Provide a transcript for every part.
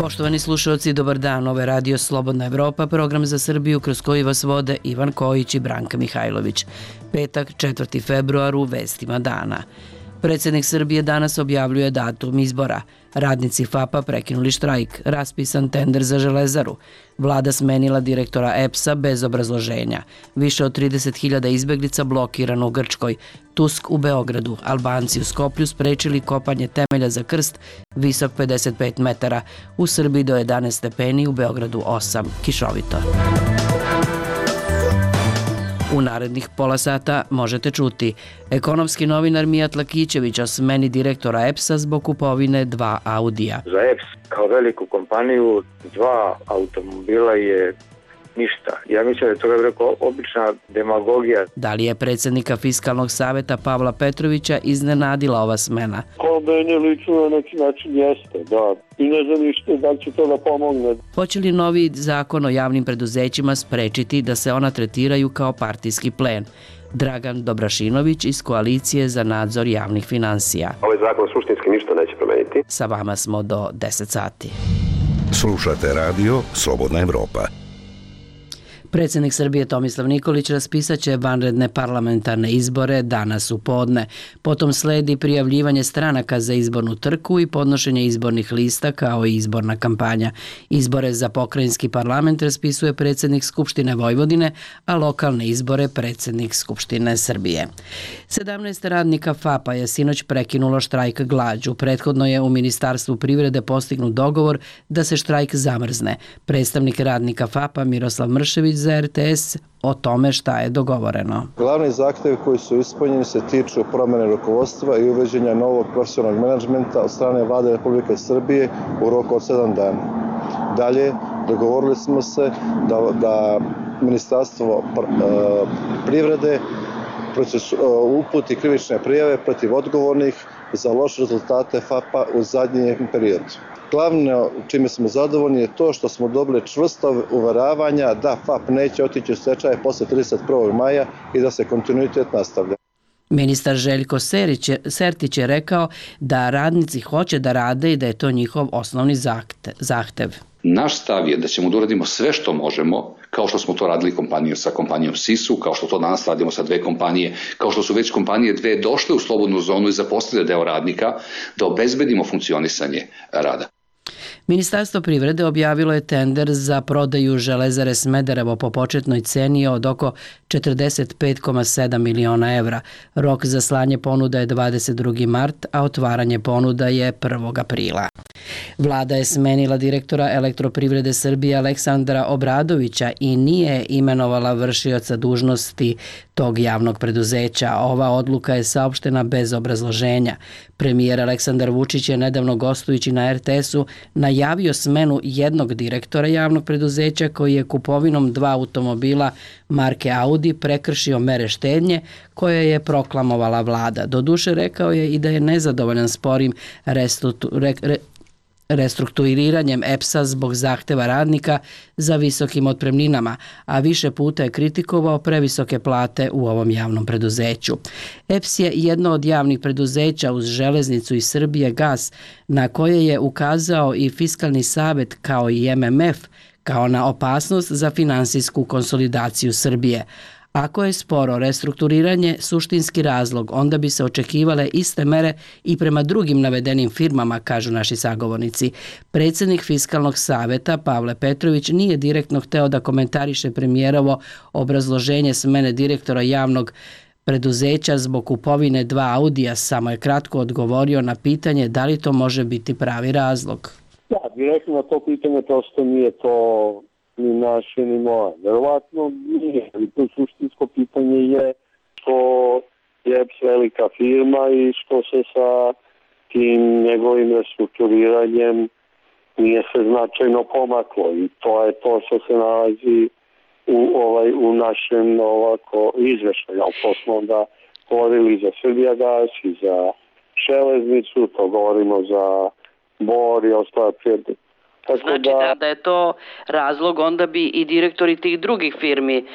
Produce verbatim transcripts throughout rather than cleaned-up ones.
Poštovani slušalci, dobar dan. Ovo je Radio Slobodna Evropa, program za Srbiju kroz koji vas vode Ivan Kojić i Branka Mihajlović. Petak, četvrti februar, u vestima dana. Predsjednik Srbije danas objavljuje datum izbora. Radnici F A P-a prekinuli štrajk, raspisan tender za Železaru. Vlada smenila direktora E P S-a bez obrazloženja. Više od trideset hiljada izbeglica blokirano u Grčkoj. Tusk u Beogradu. Albanci u Skoplju sprečili kopanje temelja za krst visok pedeset pet metara. U Srbiji do jedanaest stepeni, u Beogradu osam. Kišovito. U narednih pola sata možete čuti: ekonomski novinar Mijat Lakićević o smeni direktora E P S-a zbog kupovine dva Audija. Za E P S kao veliku kompaniju dva automobila je ništa. Ja mislim da je to rekao obična demagogija. Da li je predsjednika Fiskalnog saveta Pavla Petrovića iznenadila ova smena? Kao meni lično na neki način jeste, da. I ne znam ništa da li će to da pomogne. Hoće li novi zakon o javnim preduzećima sprečiti da se ona tretiraju kao partijski plen? Dragan Dobrašinović iz Koalicije za nadzor javnih finansija. Ovaj zakon suštinski ništa neće promeniti. Sa vama smo do deset sati. Slušate radio Slobodna Evropa. Predsjednik Srbije Tomislav Nikolić raspisat će vanredne parlamentarne izbore danas u podne. Potom sledi prijavljivanje stranaka za izbornu trku i podnošenje izbornih lista kao i izborna kampanja. Izbore za pokrajinski parlament raspisuje predsjednik Skupštine Vojvodine, a lokalne izbore predsjednik Skupštine Srbije. sedamnaest radnika F A P-a je sinoć prekinulo štrajk glađu. Prethodno je u Ministarstvu privrede postignut dogovor da se štrajk zamrzne. Predstavnik radnika F A P-a Miroslav Mršević za R T S o tome šta je dogovoreno. Glavni zahtjevi koji su ispunjeni se tiču promjene rukovodstva i uveđenja novog profesionalnog menadžmenta od strane Vlade Republike Srbije u roku od sedam dana. Dalje, dogovorili smo se da, da Ministarstvo privrede uputi krivične prijave protiv odgovornih za loše rezultate F A P-a u zadnjem periodu. Glavno čime smo zadovoljni je to što smo dobili čvrsto uveravanja da F A P neće otići u stečaj posle trideset prvog maja i da se kontinuitet nastavlja. Ministar Željko Sertić je rekao da radnici hoće da rade i da je to njihov osnovni zahtev. Naš stav je da ćemo da uradimo sve što možemo, kao što smo to radili kompaniju sa kompanijom Sisu, kao što to danas radimo sa dve kompanije, kao što su već kompanije dve došle u slobodnu zonu i zaposlile deo radnika, da obezbedimo funkcionisanje rada. Ministarstvo privrede objavilo je tender za prodaju Železare Smederevo po početnoj ceni od oko četrdeset pet zarez sedam miliona evra. Rok za slanje ponuda je dvadeset drugi mart, a otvaranje ponuda je prvog aprila. Vlada je smenila direktora Elektroprivrede Srbije Aleksandra Obradovića i nije imenovala vršioca dužnosti tog javnog preduzeća. Ova odluka je saopštena bez obrazloženja. Premijer Aleksandar Vučić je nedavno gostujući na R T S-u najavio smenu jednog direktora javnog preduzeća koji je kupovinom dva automobila marke Audi prekršio mere štednje koje je proklamovala vlada. Doduše rekao je i da je nezadovoljan sporim restrukturiranjem E P S-a zbog zahteva radnika za visokim otpremninama, a više puta je kritikovao previsoke plate u ovom javnom preduzeću. E P S je jedno od javnih preduzeća uz Železnicu i Srbije gas, na koje je ukazao i Fiskalni savet kao i M M F kao na opasnost za finansijsku konsolidaciju Srbije. Ako je sporo restrukturiranje suštinski razlog, onda bi se očekivale iste mere i prema drugim navedenim firmama, kažu naši sagovornici. Predsjednik Fiskalnog saveta Pavle Petrović nije direktno hteo da komentariše premijerovo obrazloženje smene direktora javnog preduzeća zbog kupovine dva Audija, samo je kratko odgovorio na pitanje da li to može biti pravi razlog. Da, direktno na to pitanje prosto nije to ni naše, ni moje. Verovatno nije, ali to suštinsko pitanje je što je E P S velika firma i što se sa tim njegovim restrukturiranjem nije se značajno pomaklo i to je to što se nalazi u, ovaj, u našem ovako izveštaju. Ali to smo onda govorili za Srbijagas i za Železnicu, to govorimo za Bor i ostale Tako znači da... da je to razlog, onda bi i direktori tih drugih firmi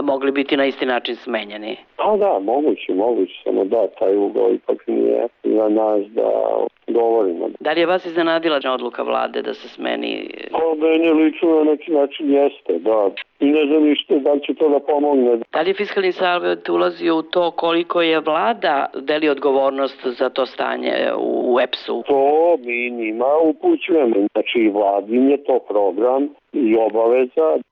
mogli biti na isti način smenjeni. Pa da, moguće, moguće, samo da, taj ugao ipak nije za nas da govorimo. Da li je vas iznenadila odluka vlade da se smeni? Pa meni lično na neki način jeste, da. I ne znam ništa da li će to da pomogne. Da li je Fiskalni savet ulazio u to koliko je vlada deli odgovornost za to stanje u E P S-u? To mi njima upućujemo. Znači, vladin je to program i obaveza,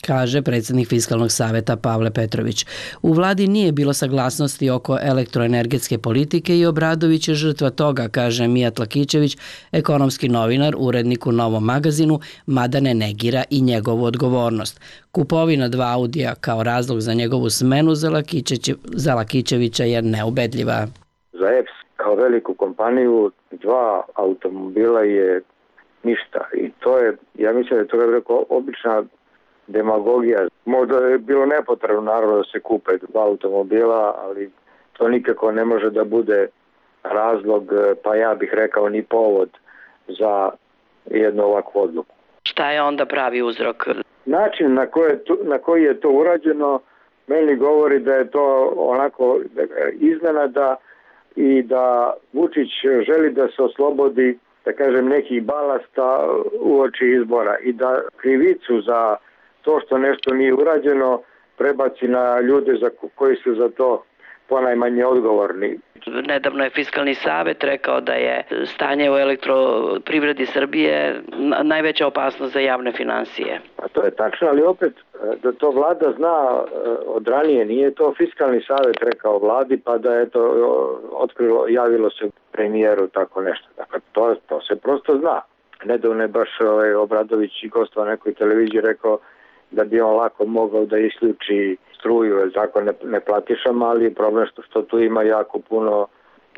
kaže predsjednik Fiskalnog saveta Pavle Petrović. U vladi nije bilo saglasnosti oko elektroenergetske politike i Obradović je žrtva toga, kaže Mijat Lakićević, ekonomski novinar, urednik u Novom magazinu, mada ne negira i njegovu odgovornost. Kupovina dva Audija kao razlog za njegovu smenu za, za Lakićevića je neubedljiva. Za E P S kao veliku kompaniju dva automobila je ništa i to je, ja mislim da je to rekao, obična demagogija. Možda je bilo nepotrebno naravno da se kupe dva automobila, ali to nikako ne može da bude razlog, pa ja bih rekao ni povod za jednu ovakvu odluku. Šta je onda pravi uzrok? Način na koji je to, na koji je to urađeno meni govori da je to onako iznenada i da Vučić želi da se oslobodi, da kažem, nekih balasta uoči izbora i da krivicu za to što nešto nije urađeno prebaci na ljude za koji su za to ponajmanje odgovorni. Nedavno je Fiskalni savet rekao da je stanje u elektroprivredi Srbije najveća opasnost za javne finansije. A to je tačno, ali opet da to vlada zna od ranije, nije to Fiskalni savet rekao vladi pa da je to otkrilo, javilo se premijeru tako nešto. Dakle, to, to se prosto zna. Nedavno je baš ovaj, Obradović i gostva na nekoj televiziji rekao da bi on lako mogao da isključi struju, jer tako ne, ne platišama, ali je problem što, što tu ima jako puno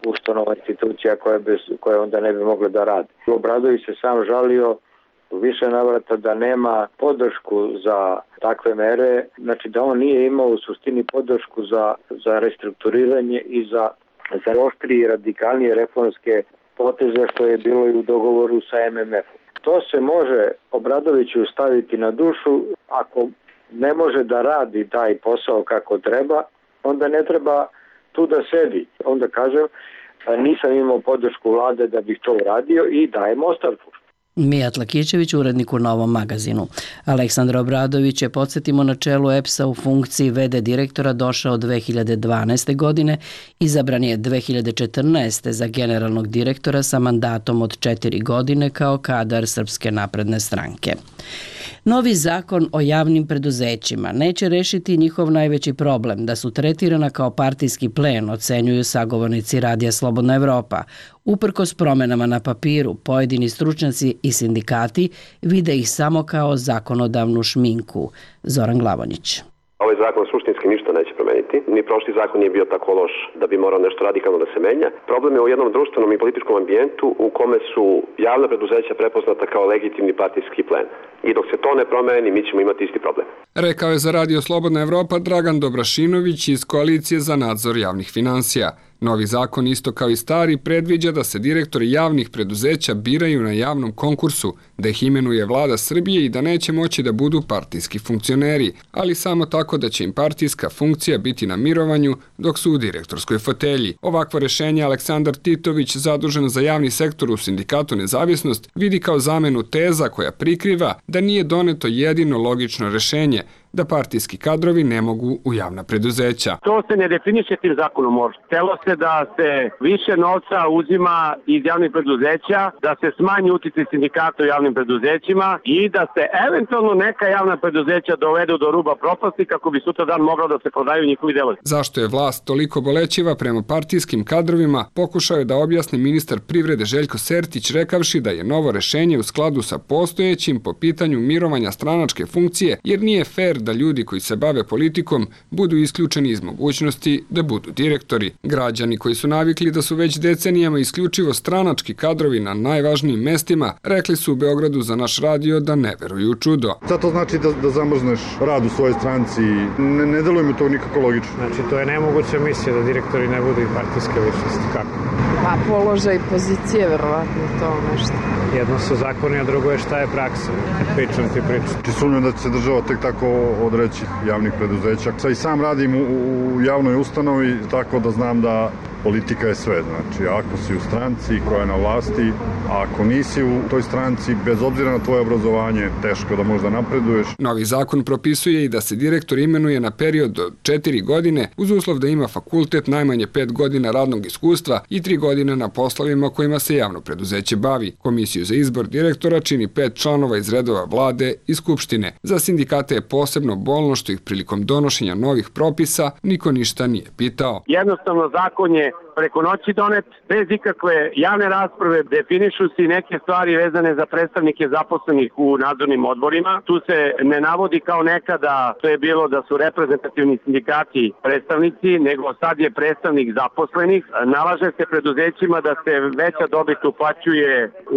ustanova, institucija koje, bez, koje onda ne bi mogle da radi. Obradović se sam žalio u više navrata da nema podršku za takve mere, znači da on nije imao u suštini podršku za, za restrukturiranje i za, za oštrije i radikalnije reformske poteze što je bilo i u dogovoru sa M M F-om. To se može Obradoviću staviti na dušu, ako ne može da radi taj posao kako treba, onda ne treba tu da sedi. Onda kažem, nisam imao podršku vlade da bih to uradio i dajem ostavku. Mijat Lakićević, urednik u Novom magazinu. Aleksandar Obradović je, podsjetimo, na čelu E P S-a u funkciji v d direktora došao dve hiljade dvanaeste. godine, izabran je dve hiljade četrnaeste. za generalnog direktora sa mandatom od četiri godine kao kadar Srpske napredne stranke. Novi zakon o javnim preduzećima neće rešiti njihov najveći problem, da su tretirana kao partijski plen, ocenjuju sagovornici Radija Slobodna Evropa. Uprkos promenama na papiru, pojedini stručnjaci i sindikati vide ih samo kao zakonodavnu šminku. Zoran Glavonjić. Ovaj zakon suštinski ništa neće promeniti. Ni prošli zakon nije bio tako loš da bi morao nešto radikalno da se menja. Problem je u jednom društvenom i političkom ambijentu u kome su javna preduzeća prepoznata kao legitimni partijski plen. I dok se to ne promeni, mi ćemo imati isti problem. Rekao je za Radio Slobodna Evropa Dragan Dobrašinović iz Koalicije za nadzor javnih finansija. Novi zakon, isto kao i stari, predviđa da se direktori javnih preduzeća biraju na javnom konkursu, da ih imenuje vlada Srbije i da neće moći da budu partijski funkcioneri, ali samo tako da će im partijska funkcija biti na mirovanju dok su u direktorskoj fotelji. Ovakvo rešenje Aleksandar Titović, zadužen za javni sektor u Sindikatu Nezavisnost, vidi kao zamenu teza koja prikriva da nije doneto jedino logično rešenje, da partijski kadrovi ne mogu u javna preduzeća. To se ne definiše tim zakonom možda. Htelo se da se više novca uzima iz javnih preduzeća, da se smanji uticaj sindikata u javnim preduzećima i da se eventualno neka javna preduzeća dovedu do ruba propasti kako bi sutra dan moglo da se prodaju njihovi delovi. Zašto je vlast toliko bolećiva prema partijskim kadrovima, pokušao je da objasni ministar privrede Željko Sertić, rekavši da je novo rešenje u skladu sa postojećim po pitanju mirovanja stranačke funkcije, jer nije fer da ljudi koji se bave politikom budu isključeni iz mogućnosti da budu direktori. Građani koji su navikli da su već decenijama isključivo stranački kadrovi na najvažnijim mestima, rekli su u Beogradu za naš radio da ne veruju u čudo. Sad to znači da, da zamrzneš rad u svojoj stranci. Ne, ne deluje mi to nikako logično. Znači, to je nemoguća misija da direktori ne budu i partijske ličnosti. Kako? Pa položaj pozicije, verovatno to nešto. Jedno su zakoni, a drugo je šta je praksa. Pričam ti pričam. Či sumnjam da će se država tek tako odreći javnih preduzeća. Sad i sam radim u, u javnoj ustanovi, tako da znam da politika je sve. Znači, ako si u stranci koja je na vlasti, a ako nisi u toj stranci, bez obzira na tvoje obrazovanje, teško da možda napreduješ. Novi zakon propisuje i da se direktor imenuje na period od četiri godine uz uslov da ima fakultet, najmanje pet godina radnog iskustva i tri godine na poslovima kojima se javno preduzeće bavi. Komisiju za izbor direktora čini pet članova iz redova vlade i skupštine. Za sindikate je posebno bolno što ih prilikom donošenja novih propisa niko ništa nije pitao. Jednostavno zakon je preko noći donet, bez ikakve javne rasprave, definišu se neke stvari vezane za predstavnike zaposlenih u nadzornim odborima. Tu se ne navodi kao nekada, to je bilo da su reprezentativni sindikati predstavnici, nego sad je predstavnik zaposlenih. Nalaže se preduzećima da se veća dobit uplaćuje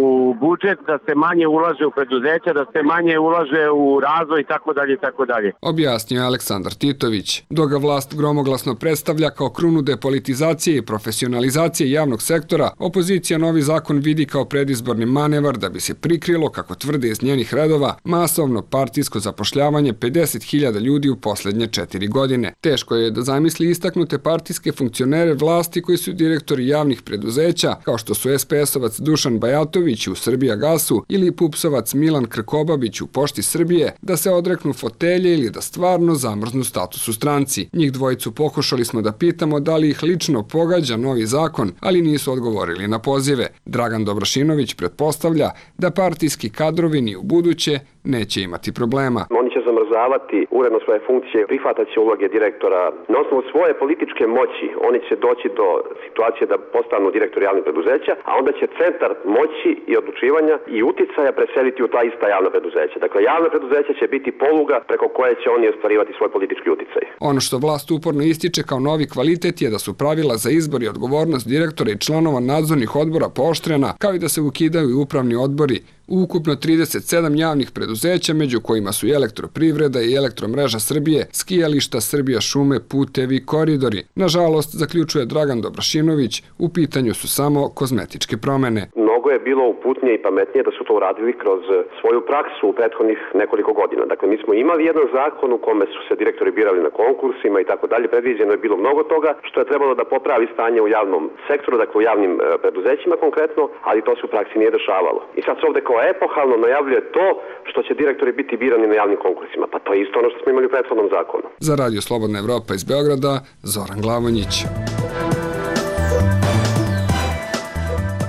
u budžet, da se manje ulaže u preduzeća, da se manje ulaže u razvoj i tako dalje i tako dalje. Objasnio je Aleksandar Titović. Dok ga vlast gromoglasno predstavlja kao krunu depolitizacije i profesionalizacije javnog sektora, opozicija novi zakon vidi kao predizborni manevar da bi se prikrilo, kako tvrde iz njenih redova, masovno partijsko zapošljavanje pedeset hiljada ljudi u poslednje četiri godine. Teško je da zamisli istaknute partijske funkcionere vlasti koji su direktori javnih preduzeća, kao što su es pe esovac Dušan Bajatović u Srbijagasu ili pupsovac Milan Krkobabić u Pošti Srbije, da se odreknu fotelje ili da stvarno zamrznu status u stranci. Njih dvojicu pokušali smo da pitamo da li ih lično pogađa novi zakon, ali nisu odgovorili na pozive. Dragan Dobrašinović pretpostavlja da partijski kadrovi ni u buduće neće imati problema. Oni će zamrzavati uredno svoje funkcije, prihvatat će uloge direktora. Na osnovu svoje političke moći oni će doći do situacije da postanu direktori javnih preduzeća, a onda će centar moći i odlučivanja i uticaja preseliti u ta ista javna preduzeća. Dakle, javna preduzeća će biti poluga preko koje će oni ostvarivati svoj politički uticaj. Ono što vlast uporno ističe kao novi kvalitet je da su pravila za izbor i odgovornost direktora i članova nadzornih odbora pooštrena, kao i da se ukidaju i upravni odbori u ukupno trideset sedam javnih preduzeća, među kojima su i Elektroprivreda i Elektromreža Srbije, skijališta, Srbija šume, putevi, koridori. Nažalost, zaključuje Dragan Dobrašinović, u pitanju su samo kozmetičke promene. Mnogo je bilo uputnije i pametnije da su to uradili kroz svoju praksu u prethodnih nekoliko godina. Dakle, mi smo imali jedan zakon u kome su se direktori birali na konkursima i tako dalje. Predviđeno je bilo mnogo toga što je trebalo da popravi stanje u javnom sektoru, dakle u javnim preduzećima konkretno, ali to se u praksi nije dešavalo. I sad se ovde kao epohalno najavljuje to što će direktori biti birani na javnim konkursima. Pa to je isto ono što smo imali u prethodnom zakonu. Za Radio Slobodna Evropa iz Beograda, Zoran Glavonjić.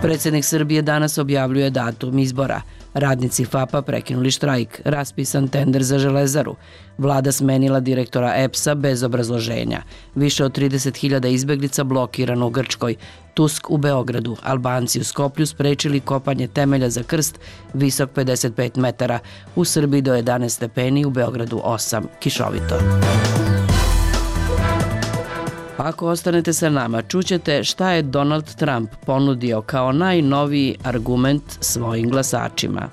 Predsjednik Srbije danas objavljuje datum izbora. Radnici FAP-a prekinuli štrajk, raspisan tender za Železaru. Vlada smenila direktora E P S-a bez obrazloženja. Više od trideset hiljada izbeglica blokirano u Grčkoj. Tusk u Beogradu. Albanci u Skoplju sprečili kopanje temelja za krst visok pedeset pet metara. U Srbiji do jedanaest stepeni, u Beogradu osam. Kišovito. Ako ostanete sa nama, čućete šta je Donald Trump ponudio kao najnoviji argument svojim glasačima.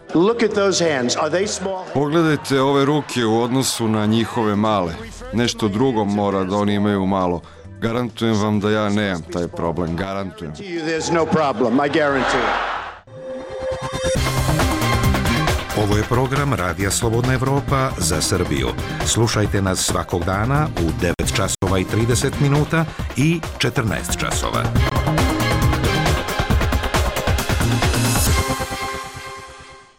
Pogledajte ove ruke u odnosu na njihove male. Nešto drugo mora da oni imaju malo. Garantujem vam da ja nemam taj problem. Garantujem. Ovo je program Radija Slobodna Evropa za Srbiju. Slušajte nas svakog dana u devet časova i trideset minuta i četrnaest časova.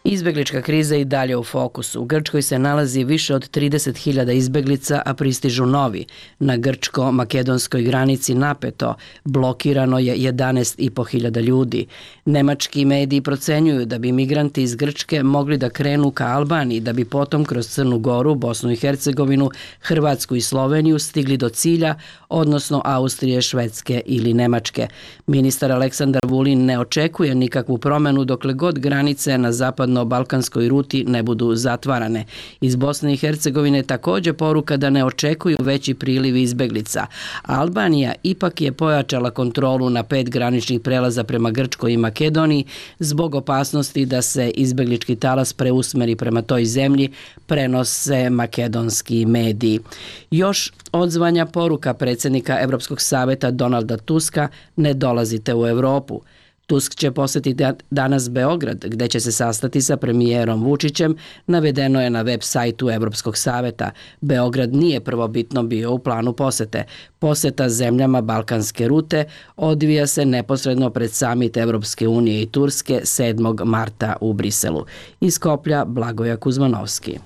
Izbeglička kriza i dalje u fokusu. U Grčkoj se nalazi više od trideset hiljada izbeglica, a pristižu novi. Na grčko-makedonskoj granici napeto blokirano je jedanaest i po hiljada ljudi. Nemački mediji procenjuju da bi migranti iz Grčke mogli da krenu ka Albaniji, da bi potom kroz Crnu Goru, Bosnu i Hercegovinu, Hrvatsku i Sloveniju stigli do cilja, odnosno Austrije, Švedske ili Nemačke. Ministar Aleksandar Vulin ne očekuje nikakvu promenu dokle god granice na zapadno balkanskoj ruti ne budu zatvarane. Iz Bosne i Hercegovine također poruka da ne očekuju veći priliv izbeglica. Albanija ipak je pojačala kontrolu na pet graničnih prelaza prema Grčkoj i Makedoniji zbog opasnosti da se izbeglički talas preusmeri prema toj zemlji, prenose makedonski mediji. Još odzvanja poruka predsjednika Europskog saveta Donalda Tuska: ne dolazite u Europu. Tusk će posjetiti danas Beograd, gdje će se sastati sa premijerom Vučićem, navedeno je na web sajtu Europskog saveta. Beograd nije prvobitno bio u planu posjete. Posjeta zemljama balkanske rute odvija se neposredno pred samit Europske unije i Turske sedmog marta u Briselu. Iz Skoplja Blagoja Kuzmanovski.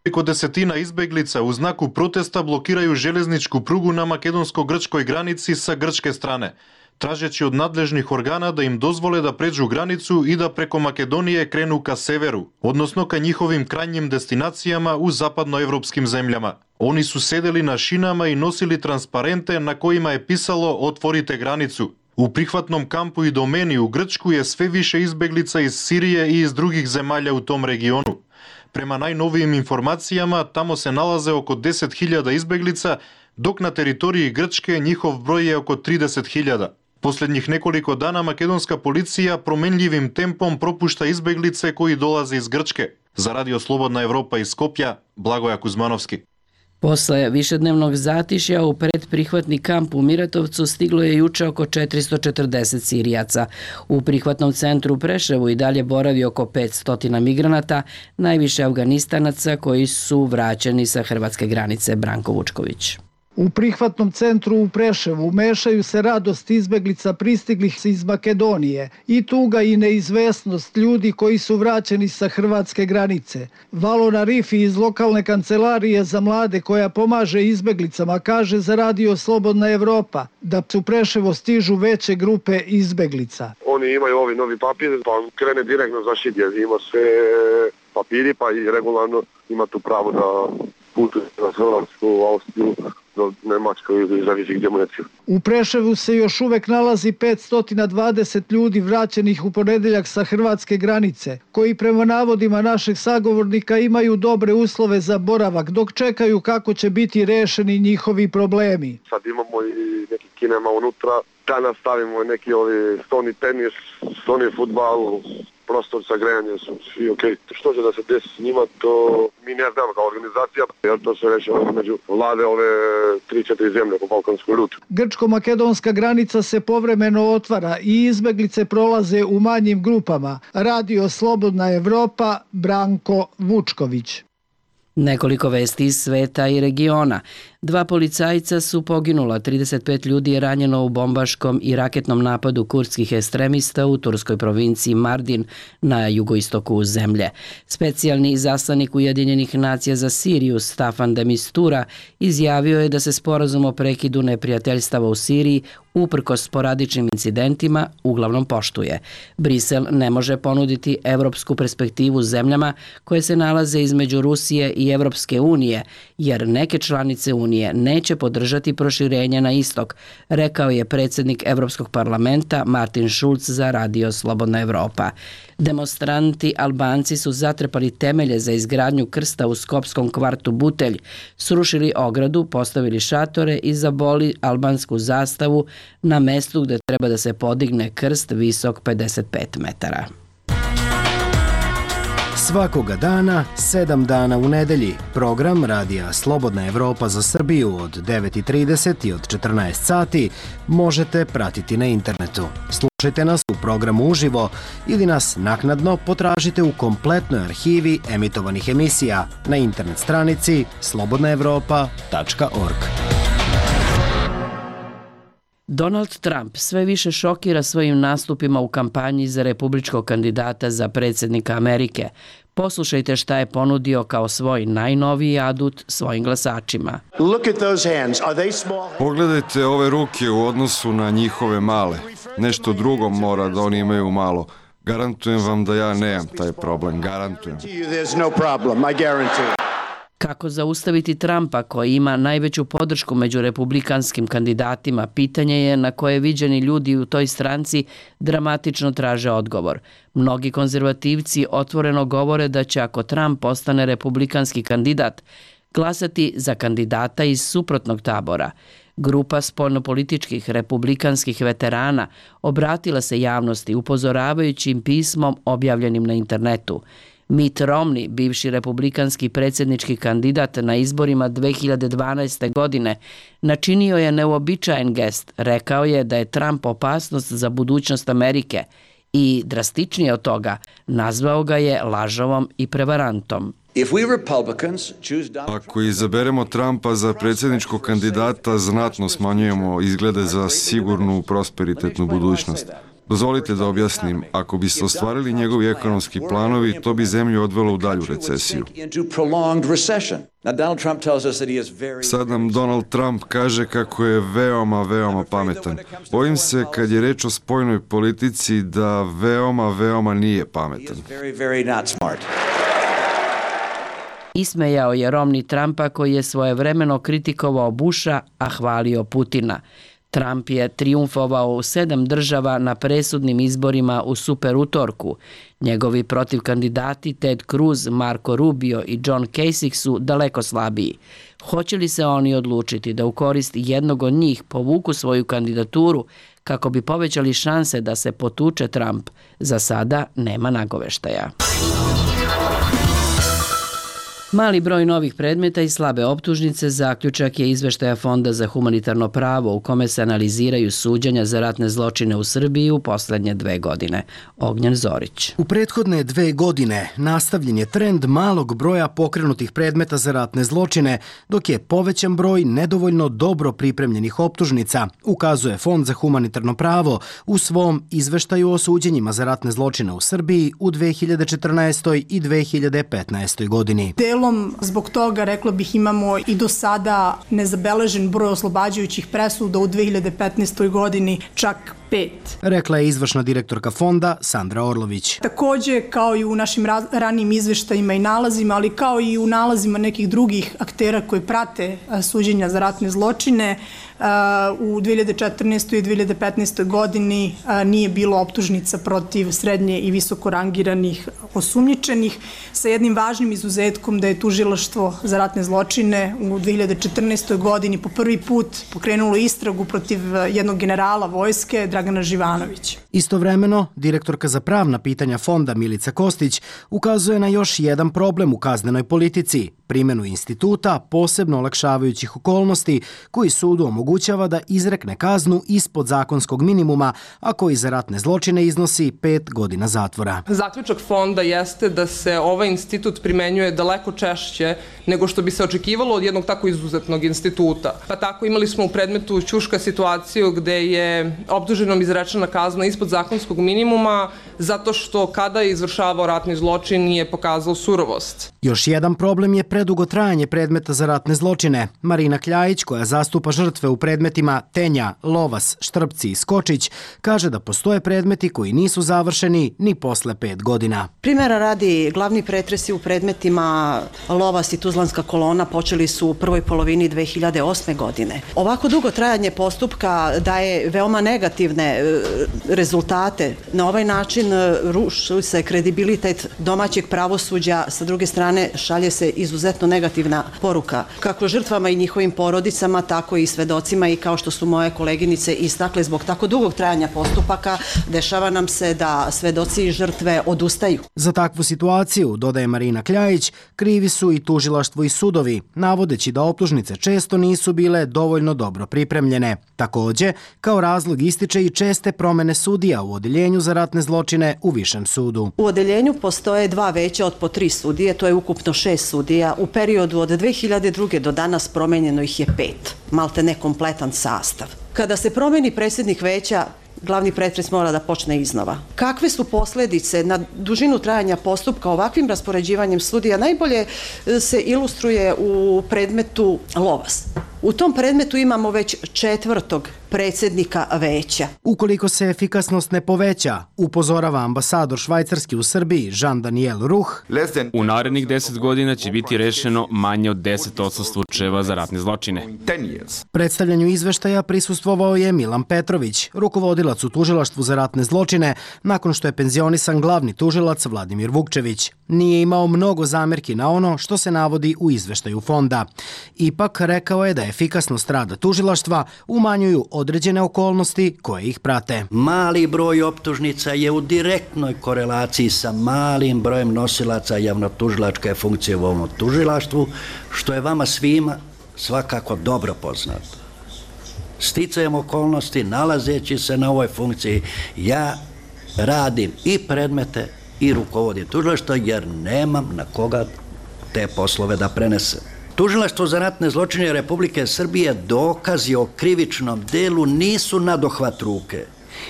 Nekoliko desetina izbeglica u znaku protesta blokiraju željezničku prugu na makedonsko-grčkoj granici sa grčke strane, tražeći od nadležnih organa da im dozvole da pređu granicu i da preko Makedonije krenu ka severu, odnosno ka njihovim krajnjim destinacijama u zapadnoevropskim zemljama. Oni su sedeli na šinama i nosili transparente na kojima je pisalo "Otvorite granicu". U prihvatnom kampu i domeni u Grčku je sve više izbeglica iz Sirije i iz drugih zemalja u tom regionu. Prema najnovijim informacijama, tamo se nalaze oko deset hiljada izbeglica, dok na teritoriji Grčke njihov broj je oko trideset hiljada. Posljednjih nekoliko dana makedonska policija promenljivim tempom propušta izbeglice koji dolaze iz Grčke. Za Radio Slobodna Evropa iz Skopja, Blagoja Kuzmanovski. Posle višednevnog zatišja u predprihvatni kamp u Miratovcu stiglo je juče oko četiristo četrdeset Sirijaca. U prihvatnom centru u Preševu i dalje boravi oko petsto migranata, najviše Afganistanaca koji su vraćeni sa hrvatske granice. Branko Vučković. U prihvatnom centru u Preševu mešaju se radost izbeglica pristiglih iz Makedonije i tuga i neizvesnost ljudi koji su vraćeni sa hrvatske granice. Valona Rifi iz lokalne kancelarije za mlade koja pomaže izbeglicama kaže za Radio Slobodna Evropa da u Preševo stižu veće grupe izbeglica. Oni imaju ovi novi papir, pa krene direktno za Šidje. Ima sve papiri, pa i regularno ima tu pravo da putuje na Hrvatsku, Austriju, do Nemačkoj ili zavisi gdje mu neće. U Preševu se još uvek nalazi petsto dvadeset ljudi vraćenih u ponedeljak sa hrvatske granice, koji prema navodima našeg sagovornika imaju dobre uslove za boravak, dok čekaju kako će biti rešeni njihovi problemi. Sad imamo i neki kinema unutra, danas stavimo neki ovi stoni tenis, stoni futbal, prostor za grejanje su svi ok. Što će da se desi s njima, to mi ne znamo kao organizacija, jer to se rešava među vlade ove tri četiri zemlje po balkanskoj ruti. Grčko-makedonska granica se povremeno otvara i izbeglice prolaze u manjim grupama. Radio Slobodna Evropa, Branko Vučković. Nekoliko vesti iz sveta i regiona. Dva policajca su poginula, trideset pet ljudi je ranjeno u bombaškom i raketnom napadu kurdskih ekstremista u turskoj provinciji Mardin na jugoistoku zemlje. Specijalni izaslanik Ujedinjenih nacija za Siriju Staffan de Mistura izjavio je da se sporazum o prekidu neprijateljstava u Siriji uprkos sporadičnim incidentima uglavnom poštuje. Brisel ne može ponuditi evropsku perspektivu zemljama koje se nalaze između Rusije i Evropske unije, jer neke članice unije neće podržati proširenje na istok, rekao je predsjednik Evropskog parlamenta Martin Schulz za Radio Slobodna Evropa. Demonstranti Albanci su zatrpali temelje za izgradnju krsta u skopskom kvartu Butelj, srušili ogradu, postavili šatore i zaboli albansku zastavu na mestu gdje treba da se podigne krst visok pedeset pet metara. Svakoga dana, sedam dana u nedelji, program Radija Slobodna Evropa za Srbiju od devet i trideset i od četrnaest sati možete pratiti na internetu. Slušajte nas u programu uživo ili nas naknadno potražite u kompletnoj arhivi emitovanih emisija na internet stranici slobodna evropa tačka org. Donald Trump sve više šokira svojim nastupima u kampanji za republičkog kandidata za predsjednika Amerike. Poslušajte šta je ponudio kao svoj najnoviji adut svojim glasačima. Pogledajte ove ruke u odnosu na njihove male. Nešto drugo mora da oni imaju malo. Garantujem vam da ja nemam taj problem. Garantujem. Kako zaustaviti Trumpa koji ima najveću podršku među republikanskim kandidatima, pitanje je na koje viđeni ljudi u toj stranci dramatično traže odgovor. Mnogi konzervativci otvoreno govore da će ako Trump postane republikanski kandidat, glasati za kandidata iz suprotnog tabora. Grupa spoljnopolitičkih republikanskih veterana obratila se javnosti upozoravajući im pismom objavljenim na internetu. Mitt Romney, bivši republikanski predsjednički kandidat na izborima dve hiljade dvanaeste. godine, načinio je neuobičajen gest. Rekao je da je Trump opasnost za budućnost Amerike i, drastičnije od toga, nazvao ga je lažovom i prevarantom. Ako izaberemo Trumpa za predsjedničkog kandidata, znatno smanjujemo izglede za sigurnu prosperitetnu budućnost. Dozvolite da objasnim, ako bi se ostvarili njegovi ekonomski planovi, to bi zemlju odvelo u dalju recesiju. Sad nam Donald Trump kaže kako je veoma, veoma pametan. Bojim se, kad je reč o spoljnoj politici, da veoma, veoma nije pametan. Ismejao je Romney Trumpa koji je svojevremeno kritikovao Busha, a hvalio Putina. Trump je trijumfovao u sedam država na presudnim izborima u super utorku. Njegovi protivkandidati Ted Cruz, Marco Rubio i John Kasich su daleko slabiji. Hoće li se oni odlučiti da u korist jednog od njih povuku svoju kandidaturu kako bi povećali šanse da se potuče Trump? Za sada nema nagoveštaja. Mali broj novih predmeta i slabe optužnice zaključak je izveštaja Fonda za humanitarno pravo u kome se analiziraju suđenja za ratne zločine u Srbiji u poslednje dve godine. Ognjen Zorić. U prethodne dve godine nastavljen je trend malog broja pokrenutih predmeta za ratne zločine, dok je povećan broj nedovoljno dobro pripremljenih optužnica, ukazuje Fond za humanitarno pravo u svom izveštaju o suđenjima za ratne zločine u Srbiji u dve hiljade četrnaestoj. i dve hiljade petnaestoj. godini. Delom zbog toga, rekla bih, imamo i do sada nezabeležen broj oslobađajućih presuda u dve hiljade petnaestoj. godini, čak pet. Rekla je izvršna direktorka fonda Sandra Orlović. Takođe, kao i u našim ranijim izveštajima i nalazima, ali kao i u nalazima nekih drugih aktera koji prate suđenja za ratne zločine, u dve hiljade četrnaestoj. i dve hiljade petnaestoj. godini nije bilo optužnica protiv srednje i visoko rangiranih osumnjičenih, sa jednim važnim izuzetkom da je tužilaštvo za ratne zločine u dve hiljade četrnaestoj. godini po prvi put pokrenulo istragu protiv jednog generala vojske, Dragana Živanovića. Istovremeno, direktorka za pravna pitanja fonda Milica Kostić ukazuje na još jedan problem u kaznenoj politici, primjenu instituta posebno olakšavajućih okolnosti koji sudu omogućava da izrekne kaznu ispod zakonskog minimuma, a koji za ratne zločine iznosi pet godina zatvora. Zaključak fonda jeste da se ovaj institut primenjuje daleko češće nego što bi se očekivalo od jednog tako izuzetnog instituta. Pa tako imali smo u predmetu Ćuška situaciju gde je optuženom izrečena kazna ispod zakonskog minimuma zato što kada je izvršavao ratni zločin nije pokazao surovost. Još jedan problem je predugo trajanje predmeta za ratne zločine. Marina Kljajić, koja zastupa žrtve u predmetima Tenja, Lovas, Štrpci i Skočić, kaže da postoje predmeti koji nisu završeni ni posle pet godina. Primjera radi, glavni pretresi u predmetima Lovas i Tuzlanska kolona počeli su u prvoj polovini dve hiljade osme. godine. Ovako dugo trajanje postupka daje veoma negativne rezultate. Na ovaj način ruši se kredibilitet domaćeg pravosuđa, sa druge strane šalje se izuzetno negativna poruka kako žrtvama i njihovim porodicama, tako i svedocima, i kao što su moje koleginice istakle, zbog tako dugog trajanja postupaka dešava nam se da svedoci i žrtve odustaju. Za takvu situaciju, dodaje Marina Kljajić, krivi su i tužilaštvo i sudovi, navodeći da optužnice često nisu bile dovoljno dobro pripremljene. Takođe, kao razlog ističe i česte promene sudija u odeljenju za ratne zločine u Višem sudu. U odeljenju postoje dva veća od po tri sudije, to je ukupno šest sudija. U periodu od dve hiljade druge. do danas promenjeno ih je pet, malte nekompletan sastav. Kada se promeni predsjednik veća, glavni pretres mora da počne iznova. Kakve su posledice na dužinu trajanja postupka ovakvim raspoređivanjem sudija najbolje se ilustruje u predmetu Lovas. U tom predmetu imamo već četvrtog predsjednika veća. Ukoliko se efikasnost ne poveća, upozorava ambasador Švajcarski u Srbiji Jean-Daniel Ruh, u narednih deset godina će biti rešeno manje od deset posto slučajeva za ratne zločine. Predstavljanju izveštaja prisustvovao je Milan Petrović, rukovodilac u tužilaštvu za ratne zločine, nakon što je penzionisan glavni tužilac Vladimir Vukčević. Nije imao mnogo zamerki na ono što se navodi u izveštaju fonda. Ipak rekao je da efikasnost rada tužilaštva umanjuju određene okolnosti koje ih prate. Mali broj optužnica je u direktnoj korelaciji sa malim brojem nosilaca javnotužilačke funkcije u ovom tužilaštvu, što je vama svima svakako dobro poznato. Sticajem okolnosti, nalazeći se na ovoj funkciji, ja radim i predmete i rukovodim tužilaštvo jer nemam na koga te poslove da prenesem. Tužilaštvo za ratne zločine Republike Srbije dokazi o krivičnom delu nisu na dohvat ruke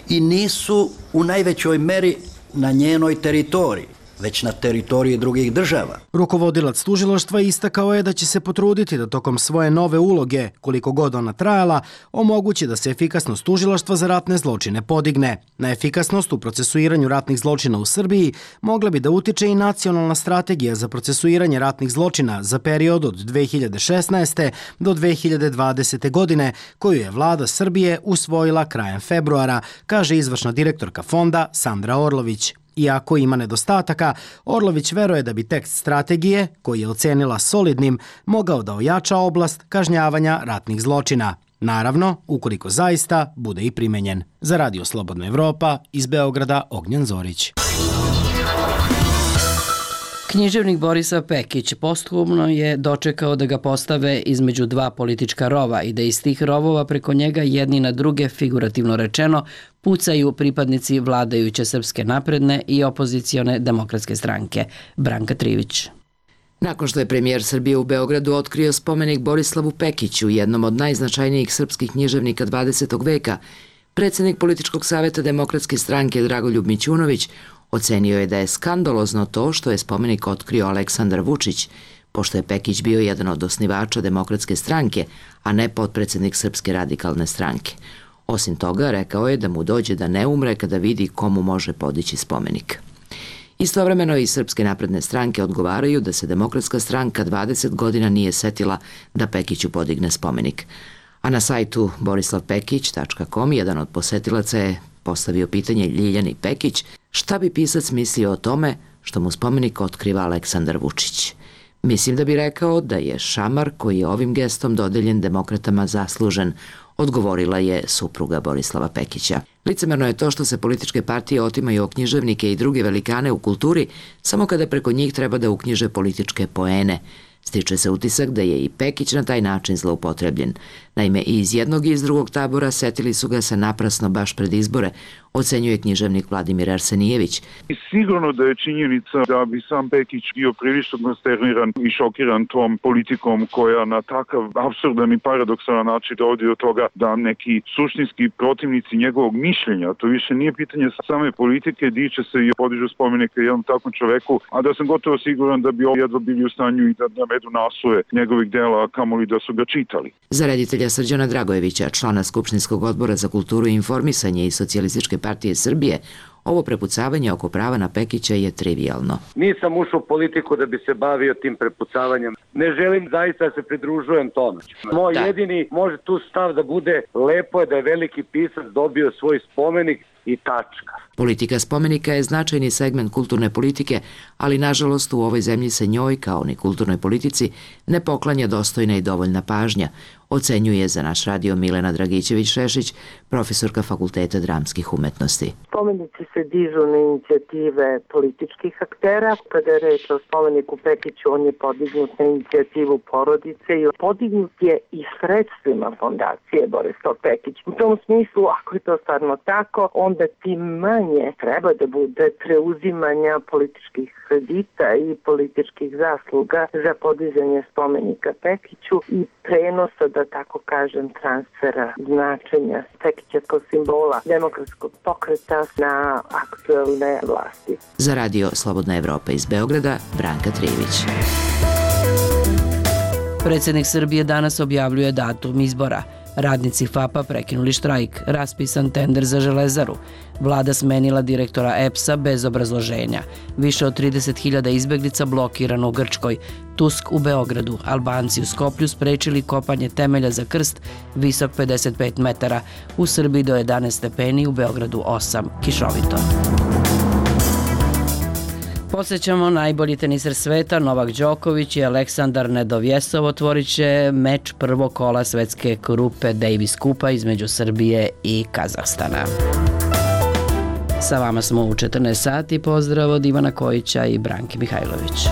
i nisu u najvećoj meri na njenoj teritoriji, već na teritoriji drugih država. Rukovodilac tužilaštva istakao je da će se potruditi da tokom svoje nove uloge, koliko god ona trajala, omogući da se efikasnost tužilaštva za ratne zločine podigne. Na efikasnost u procesuiranju ratnih zločina u Srbiji mogla bi da utiče i nacionalna strategija za procesuiranje ratnih zločina za period od dve hiljade šesnaeste. do dve hiljade dvadesete. godine, koju je vlada Srbije usvojila krajem februara, kaže izvršna direktorka fonda Sandra Orlović. Iako ima nedostataka, Orlović veruje da bi tekst strategije, koji je ocenila solidnim, mogao da ojača oblast kažnjavanja ratnih zločina. Naravno, ukoliko zaista bude i primenjen. Za Radio Slobodna Evropa, iz Beograda, Ognjen Zorić. Književnik Borislav Pekić posthumno je dočekao da ga postave između dva politička rova i da iz tih rovova preko njega jedni na druge, figurativno rečeno, pucaju pripadnici vladajuće Srpske napredne i opozicione demokratske stranke. Branka Trivić. Nakon što je premijer Srbije u Beogradu otkrio spomenik Borislavu Pekiću, jednom od najznačajnijih srpskih književnika dvadesetog veka, predsjednik Političkog saveta Demokratske stranke Dragoljub Mićunović ocenio je da je skandalozno to što je spomenik otkrio Aleksandar Vučić, pošto je Pekić bio jedan od osnivača Demokratske stranke, a ne potpredsjednik Srpske radikalne stranke. Osim toga, rekao je da mu dođe da ne umre kada vidi komu može podići spomenik. Istovremeno i Srpske napredne stranke odgovaraju da se Demokratska stranka dvadeset godina nije setila da Pekiću podigne spomenik. A na sajtu borislav pekić tačka com jedan od posetilaca je postavio pitanje Ljiljani Pekić šta bi pisac mislio o tome što mu spomenik otkriva Aleksandar Vučić. Mislim da bi rekao da je šamar koji je ovim gestom dodeljen demokratama zaslužen, odgovorila je supruga Borislava Pekića. Licemerno je to što se političke partije otimaju o književnike i druge velikane u kulturi samo kada preko njih treba da uknjiže političke poene. Stiče se utisak da je i Pekić na taj način zloupotrebljen. Naime, i iz jednog i iz drugog tabora setili su ga se naprasno baš pred izbore, ocenjuje književnik Vladimir Arsenijević. Sigurno da je činjenica da bi sam Pekić bio prilično konsterniran i šokiran tom politikom koja na takav apsurdan i paradoksalan način dovodi do toga da neki suštinski protivnici njegovog mišljenja, to više nije pitanje same politike, diče se i podižu spomenike jednom takvom čoveku, a da sam gotovo siguran da bi ovo jedva bili u stanju i da navedu naslove njegovih dela, kamoli da su ga čitali. Za reditelja Srđana Dragojevića, člana Skupštinskog odbora za kulturu i informisanje i Socijalističke partije Srbije, ovo prepucavanje oko prava na Pekića je trivialno. Nisam ušao u politiku da bi se bavio tim prepucavanjem. Ne želim zaista da se pridružujem tome. Moj da. jedini može tu stav da bude lepo je da je veliki pisac dobio svoj spomenik i tačka. Politika spomenika je značajni segment kulturne politike, ali nažalost u ovoj zemlji se njoj, kao ni kulturnoj politici, ne poklanja dostojna i dovoljna pažnja, ocenjuje za naš radio Milena Dragićević-Šešić, profesorka Fakulteta dramskih umetnosti. Spomenici se dižu na inicijative političkih aktera. Kada je reč o spomeniku Pekiću, on je podignut na inicijativu porodice i podignut je i sredstvima fondacije Borislav Pekić. U tom smislu, ako je to stvarno tako, onda tim manje treba da bude preuzimanja političkih kredita i političkih zasluga za podizanje spomenika Pekiću i prenosa, da tako kažem, transfera značenja Pekića kao simbola demokratskog pokreta na aktuelne vlasti. Za radio Slobodna Evropa iz Beograda, Branka Trivić. Predsjednik Srbije danas objavljuje datum izbora. Radnici F A P-a prekinuli štrajk, raspisan tender za Železaru. Vlada smenila direktora E P S-a bez obrazloženja. Više od trideset hiljada izbeglica blokirano u Grčkoj. Tusk u Beogradu. Albanci u Skoplju sprečili kopanje temelja za krst visok pedeset pet metara. U Srbiji do jedanaest stepeni, u Beogradu osam. Kišovito. Posjećamo najbolji teniser sveta, Novak Đoković i Aleksandar Nedovjesov otvorit će meč prvog kola svetske grupe Davis Kupa između Srbije i Kazahstana. Sa vama smo u četrnaest sati. Pozdrav od Ivana Kojića i Branke Mihajlović.